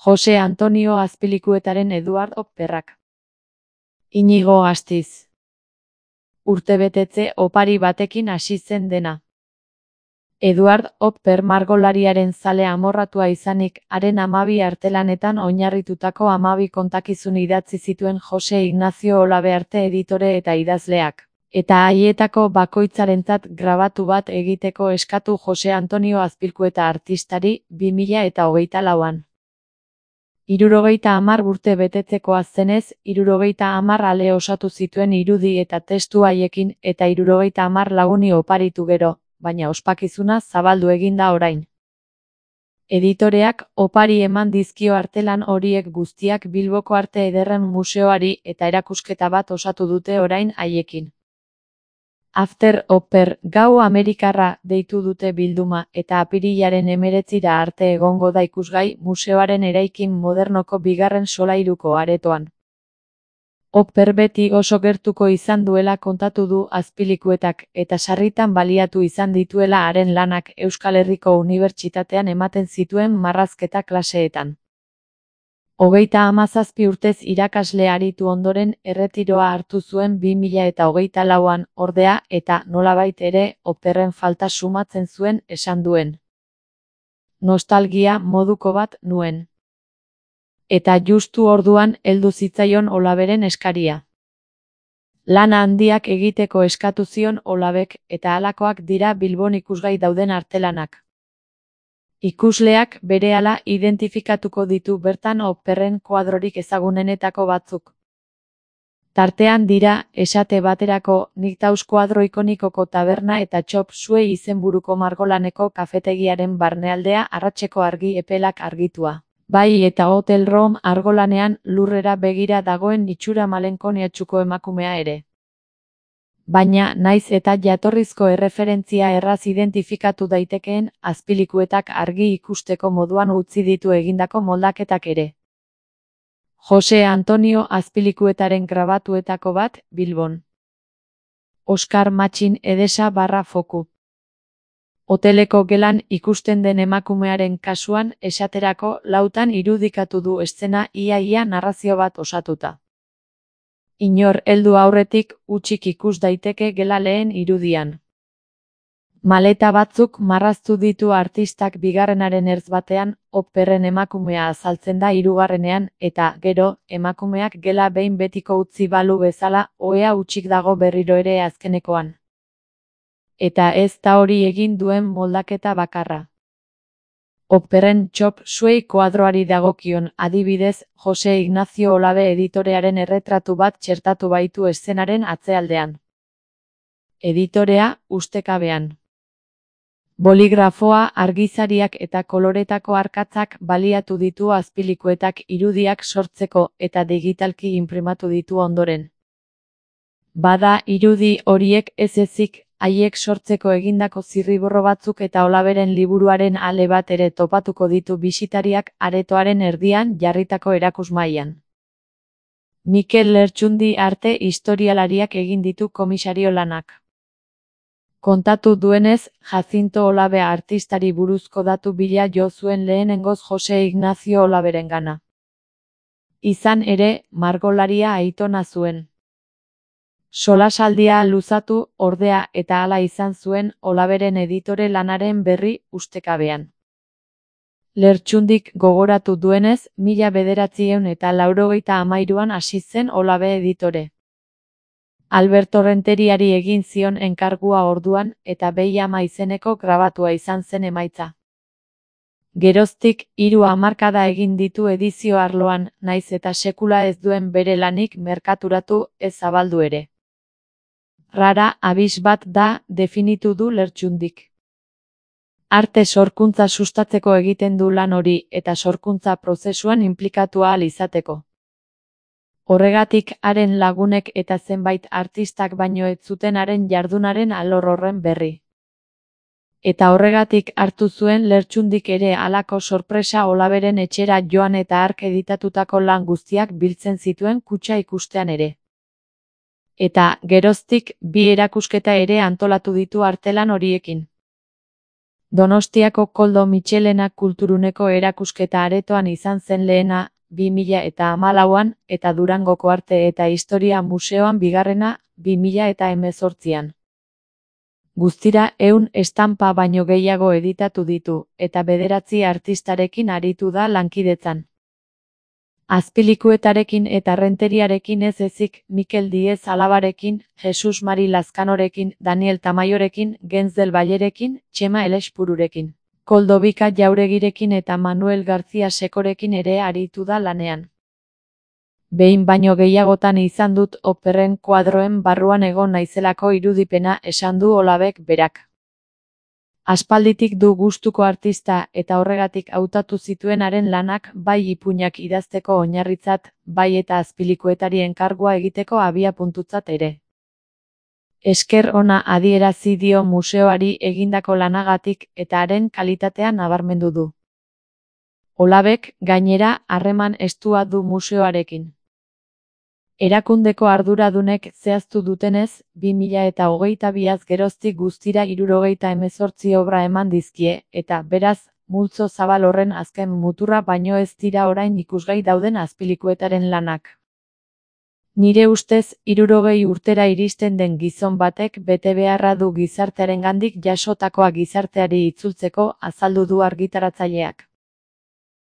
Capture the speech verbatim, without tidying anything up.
Jose Antonio Azpilikuetaren Eduard operrak. Inigo Astiz. Urtebetetze opari batekin hasi zen dena. Eduard Oper margolariaren zale amorratua izanik, haren hamabi artelanetan oinarritutako hamabi kontakizun idatzi zituen Jose Ignacio Olabearte editore eta idazleak, eta haietako bakoitzarentzat grabatu bat egiteko eskatu Jose Antonio Azpilikueta artistari bi mila eta hogeita lauan. Hirurogeita hamar urte betetzekoa zenez, hirurogeita hamar ale osatu zituen irudi eta testu haiekin eta hirurogeita hamar laguni oparitu gero, baina ospakizuna zabaldu egin da orain. Editoreak opari eman dizkio artelan horiek guztiak Bilboko Arte Ederren Museoari eta erakusketa bat osatu dute orain haiekin. After Oper, gau Amerikarra deitu dute bilduma eta apirilaren hemeretzira arte egongo da ikusgai museoaren eraikin modernoko bigarren solairuko aretoan. Oper beti oso gertuko izan duela kontatu du Azpilikuetak eta sarritan baliatu izan dituela haren lanak Euskal Herriko Unibertsitatean ematen zituen marrazketa klaseetan. Hogeita hamazazpi urtez irakasle aritu ondoren erretiroa hartu zuen bi mila eta hogeita lauan, ordea, eta nolabait ere operren falta sumatzen zuen esan duen. Nostalgia moduko bat nuen. Eta justu orduan heldu zitzaion Olaberen eskaria. Lana handiak egiteko eskatu zion Olabek eta halakoak dira Bilbon ikusgai dauden artelanak. Ikusleak berehala identifikatuko ditu bertan operren koadrorik ezagunenetako batzuk. Tartean dira, esate baterako, Niktaus koadro ikonikoko taberna eta Txop Suey izenburuko margolaneko kafetegiaren barnealdea arratseko argi epelak argitua. Bai eta Hotel Rom argolanean lurrera begira dagoen itxura malenkoniatsuko emakumea ere. Baina, naiz eta jatorrizko erreferentzia erraz identifikatu daitekeen, Azpilikuetak argi ikusteko moduan utzi ditu egindako moldaketak ere. Jose Antonio Azpilikuetaren grabatuetako bat, Bilbon. Oskar Matxin Edesa barra foku. Hoteleko gelan ikusten den emakumearen kasuan, esaterako lautan irudikatu du eszena ia-ia narrazio bat osatuta. Inor heldu aurretik hutsik ikus daiteke gela lehen irudian. Maleta batzuk marraztu ditu artistak bigarrenaren ertz batean, operren emakumea azaltzen da hirugarrenean, eta, gero, emakumeak gela behin betiko utzi balu bezala, ohea hutsik dago berriro ere azkenekoan. Eta ez da hori egin duen moldaketa bakarra. Operren Txop Suey koadroari dagokion, adibidez, Jose Ignacio Olabe editorearen erretratu bat txertatu baitu eszenaren atzealdean. Editorea, ustekabean. Boligrafoa, argizariak eta koloretako arkatzak baliatu ditu Azpilikuetak irudiak sortzeko eta digitalki inprimatu ditu ondoren. Bada irudi horiek ez ezik, haiek sortzeko egindako zirriborro batzuk eta Olaberen liburuaren ale bat ere topatuko ditu bisitariak aretoaren erdian jarritako erakusmahaian. Mikel Lertxundi arte historialariak egin ditu komisario lanak. Kontatu duenez, Jacinto Olabe artistari buruzko datu bila jo zuen lehenengoz Jose Ignacio Olaberengana. Izan ere, margolaria aitona zuen. Solasaldia luzatu, ordea, eta hala izan zuen Olaberen editore lanaren berri ustekabean. Lertxundik gogoratu duenez, mila bederatziehun eta laurogeita hamairuan hasi zen Olabe editore. Alberto Renteriari egin zion enkargua orduan, eta Behi Ama izeneko grabatua izan zen emaitza. Geroztik, hiru hamarkada egin ditu edizio arloan, naiz eta sekula ez duen bere lanik merkaturatu ez zabaldu ere. Rara abis bat da, definitu du Lertxundik. Arte sorkuntza sustatzeko egiten du lan hori eta sorkuntza prozesuan inplikatu ahal izateko. Horregatik haren lagunek eta zenbait artistak baino ez zuten haren jardunaren alor horren berri. Eta horregatik hartu zuen Lertxundik ere halako sorpresa Olaberen etxera joan eta hark editatutako lan guztiak biltzen zituen kutxa ikustean ere. Eta, geroztik, bi erakusketa ere antolatu ditu artelan horiekin. Donostiako Koldo Mitxelena kulturuneko erakusketa aretoan izan zen lehena, bi mila eta hamalauan, eta Durangoko Arte eta Historia Museoan bigarrena, bi mila eta hemezortzian. Guztira ehun estampa baino gehiago editatu ditu, eta bederatzi artistarekin aritu da lankidetzan. Azpilikuetarekin eta Renteriarekin ez ezik, Mikel Diez Alabarekin, Jesus Mari Lazkanorekin, Daniel Tamayorekin, Gens del Vallerekin, Txema Elespururekin, Koldo Bika Jauregirekin eta Manuel García Sekorekin ere aritu da lanean. Behin baino gehiagotan izan dut operren kuadroen barruan egon naizelako irudipena, esan du Olabek berak. Aspalditik du gustuko artista eta horregatik hautatu zituen haren lanak bai ipuinak idazteko oinarritzat, bai eta azpilikuetari enkargua egiteko abiapuntutzat ere. Esker ona adierazi dio museoari egindako lanagatik eta haren kalitatea nabarmendu du. Olabek, gainera, harreman estua du museoarekin. Erakundeko arduradunek zehaztu dutenez, bi mila eta hogeita biaz geroztik guztira hirurogeita hemezortzi obra eman dizkie, eta, beraz, multzo zabal horren azken muturra baino ez dira orain ikusgai dauden azpilikuetaren lanak. Nire ustez, hirurogei urtera iristen den gizon batek bete beharra du gizartearengandik jasotakoa gizarteari itzultzeko, azaldu du argitaratzaileak.